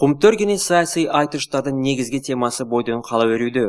Кумтөр кene саясий айтыштардын негизги темасы бойдон кала берүүдө.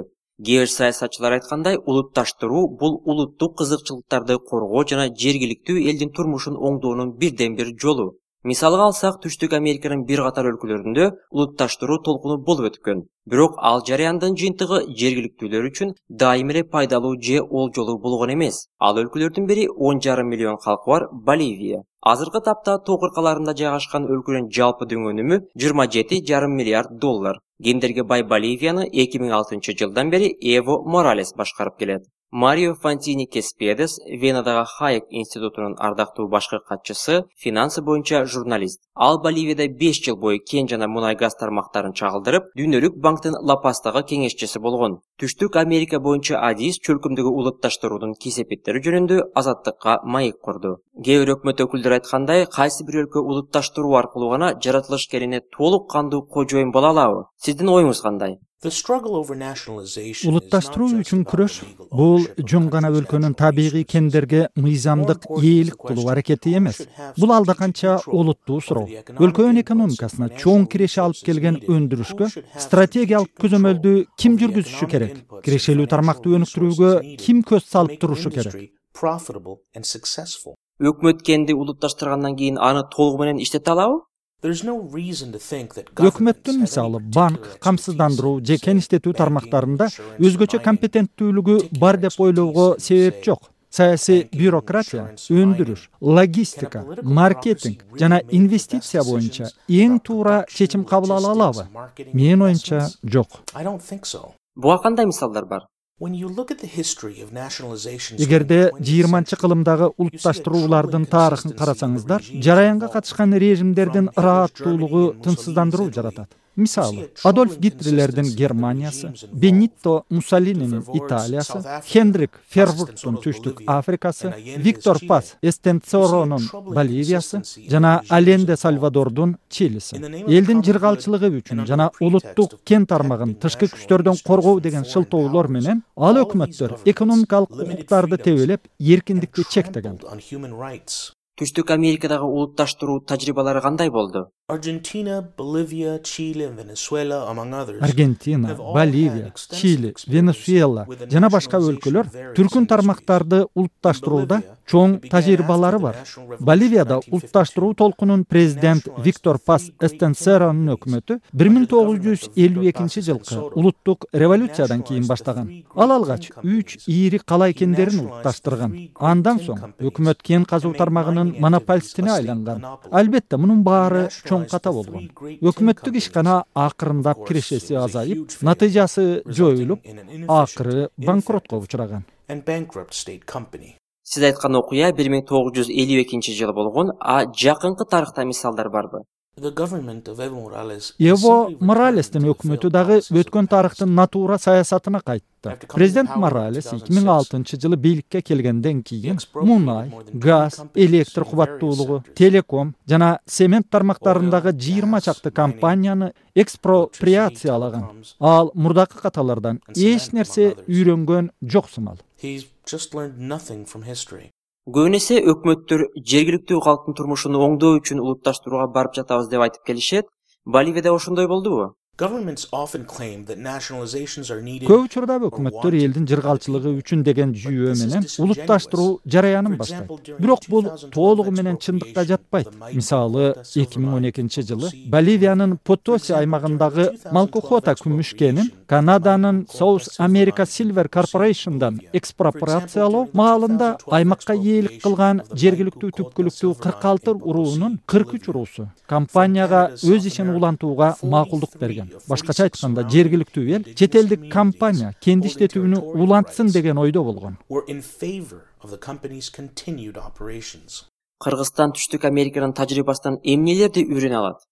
Кээ бир саясатчылар айткандай, улутташтыруу бул улуттук кызыкчылыктарды коргоо жана жергиликтүү элдин турмушун оңдоонун бирден бир жолу. Мисалга алсак, Түштүк Американын бир катар өлкөлөрүндө улутташтыруу толкуну болуп өткөн. Бирок ал жараяндын жыйынтыгы жергиликтүүлөр үчүн дайым эле пайдалуу же олжолуу болгон эмес. Ал өлкөлөрдүн бири 10,5 миллион калкы бар Боливия. Азыркы тапта тоо кыркаларында жайгашкан өлкөнүн жалпы дөң өнүмү 27,5 миллиард доллар. Кендерге бай Боливияны 2006 жылдан бери Эво Моралес башкарып келет. Марио Фантини Кеспедес, Венадагы Хайек институтунун ардактуу башкы катчысы, финансы боюнча журналист. Ал Боливияда 5 жыл бою кен жана мунай газ тармактарын чагылдырып, Дүйнөлүк банктын Ла-Пастагы кеңешчиси болгон. Түштүк Америка боюнча адис чөлкөмдөгү улутташтыруунун кесепеттери жөнүндө азаттыкка маек курду. Кээ бир өкмөт өкүлдөрү айткандай, кайсы бир өлкө улутташтыруу аркылуу гана жаратылыш келине толук кандуу кожоюн боло алабы? Сиздин оюңуз кандай? Улутташтыруу үчүн күрөш бул жөн гана өлкөнүн табигый кендерге мыйзамдык ээлик кылуу аракети эмес. Бул алда канча олуттуу суроо. Өлкөнүн экономикасына чоң киреше алып келген өндүрүшкө стратегиялык көзөмөлдү ким жүргүзүшү керек? Кирешелүү тармакты өнүктүрүүгө ким көз салып турушу керек? Өкмөт кенди улутташтыргандан кийин аны толугу менен иштете алабы? Өкмөттүн мисалы банк, камсыздандыруу же кен иштетүү тармактарында өзгөчө компетенттүүлүгү бар деп ойлоого себеп жок. Саясий бюрократия, өндүрүш, логистика, маркетинг жана инвестиция боюнча эң туура чечим кабыл ала алабы? Менин оюмча, жок. Буга кандай мисалдар бар? Эгерде 20-кылымдагы улутташтыруулардын тарыхын карасаңыздар, жараянга катышкан режимдердин ырааттуулугу тынчсыздандыруу жаратат. Мисалы, Адольф Гитлерлердин Германиясы, Бенитто Муссолининин Италиясы, Хендрик Фервурттун Түштүк Африкасы, Виктор Пас Эстенцоронун Боливиясы жана Ален де Сальвадордун Чилиси. Элдин жыргалчылыгы үчүн жана улуттук кен тармагын тышкы күчтөрдөн коргоо деген шылтоолор менен ал өкмөттөр экономикалык укуктарды тебелеп, эркиндикти чектеген. Түштүк Америкадагы улутташтыруу тажрыйбалары кандай болду? Аргентина, Боливия, Чили, Венесуэла жана башка өлкөлөр түркүн тармактарды улутташтырууда чоң тажрыйбалары бар. Боливияда улутташтыруу толкунун президент Виктор Пас Эстенцеронун өкмөтү 1952 жылкы улуттук революциядан кийин баштаган. Ал алгач 3 ири калай кендерин улутташтырган. Андан соң өкмөт кен казуу тармагынын монополистине айланган. Албетте мунун баары чоң ката болгон. Өкмөттүк ишкана акырындап кирешеси азайып, натыйжасы жоюлуп, акыры банкротко учураган. Сиз айткан окуя 1952 жылы болгон, а жакынкы тарыхта мисалдар барбы? Эво Моралестин өкмөтү дагы өткөн тарыхтын натура саясатына кайтты. Президент Моралес 2006 жылы бийликке келгенден кийин мунай, газ, электр кубаттуулугу, телеком жана цемент тармактарындагы 20 чакты компанияны экспроприациялаган. Ал мурдакы каталардан эч нерсе үйрөнгөн жок сымал. Көбүнесе өкмөттөр жергиликтүү калктын турмушун оңдоо үчүн улутташтырууга барып жатабыз деп айтып келишет. Боливияда ошондой болдубу? Көп учурда өкмөттөр элдин жыргалчылыгы үчүн деген жүйөө менен улутташтыруу жараянын баштайт. Бирок бул толугу менен чындыкка жатпайт. Мисалы, 2012 жылы Боливиянын Потоси аймагындагы Малкохота күмүш кенин Канаданын South America Silver Corporation'дан экспроприациялоо маалында аймакка ээлик кылган жергиликтүү түпкүлүктүү 46 уруунун 43 уруусу компанияга өз ишин улантууга макулдук берген. Башкача айтканда, жергиликтүү эл чет элдик компания кенди иштетүүнү улантсын деген ойдо болгон. Кыргызстан Түштүк Американын тажрыйбасынан эмнелерди үйрөнө алат?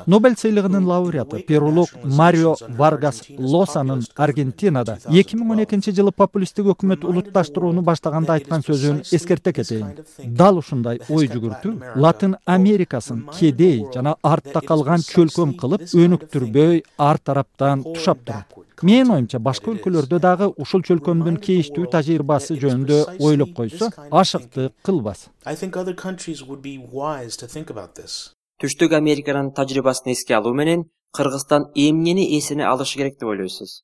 Нобель сыйлыгынын лауреаты перулук Марио Варгас Лосанын Аргентинада 2012 жылы популисттик өкмөт улутташтырууну баштаганда айткан сөзүн эскерте кетейин. Дал ушундай ой жүгүртүү Латын Америкасын кедей жана артта калган чөлкөм кылып өнүктүрбөй ар тараптан тушап турат. Менин оюмча башка өлкөлөрдө дагы ушул чөлкөмдүн кейиштүү тажрыйбасы жөнүндө ойлоп койсо, ашыктык кылбас. Түштүк Американын тажрыйбасын эске алуу менен Кыргызстан эмнени эсине алышы керек деп ойлойсуз?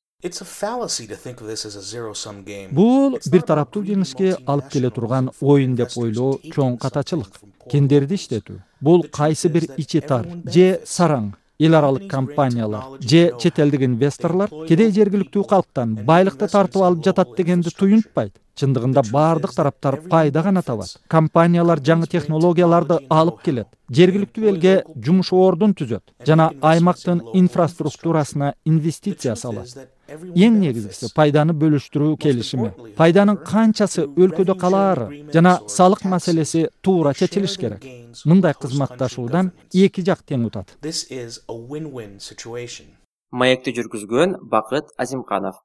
Бул бир тараптуу жеңишке алып келе турган оюн деп ойлоо чоң катачылык. Кендерди иштетүү. Бул кайсы бир ичи тар же сараң эл аралык компаниялар же чет элдик инвесторлор кедей жергиликтүү калктан байлыкты тартып алып жатат дегенди туюнтпайт. Чындыгында бардык тараптар пайда гана табат. Компаниялар жаңы технологияларды алып келет, жергиликтүү элге жумуш ордун түзөт жана аймактын инфраструктурасына инвестиция салат. Эң негизгиси пайданы бөлүштүрүү келишими. Пайданын канчасы өлкөдө калаары жана салык маселеси туура чечилиш керек. Мындай кызматташуудан эки жак тең утат. Маекти жүргүзгөн Бакыт Азимканов.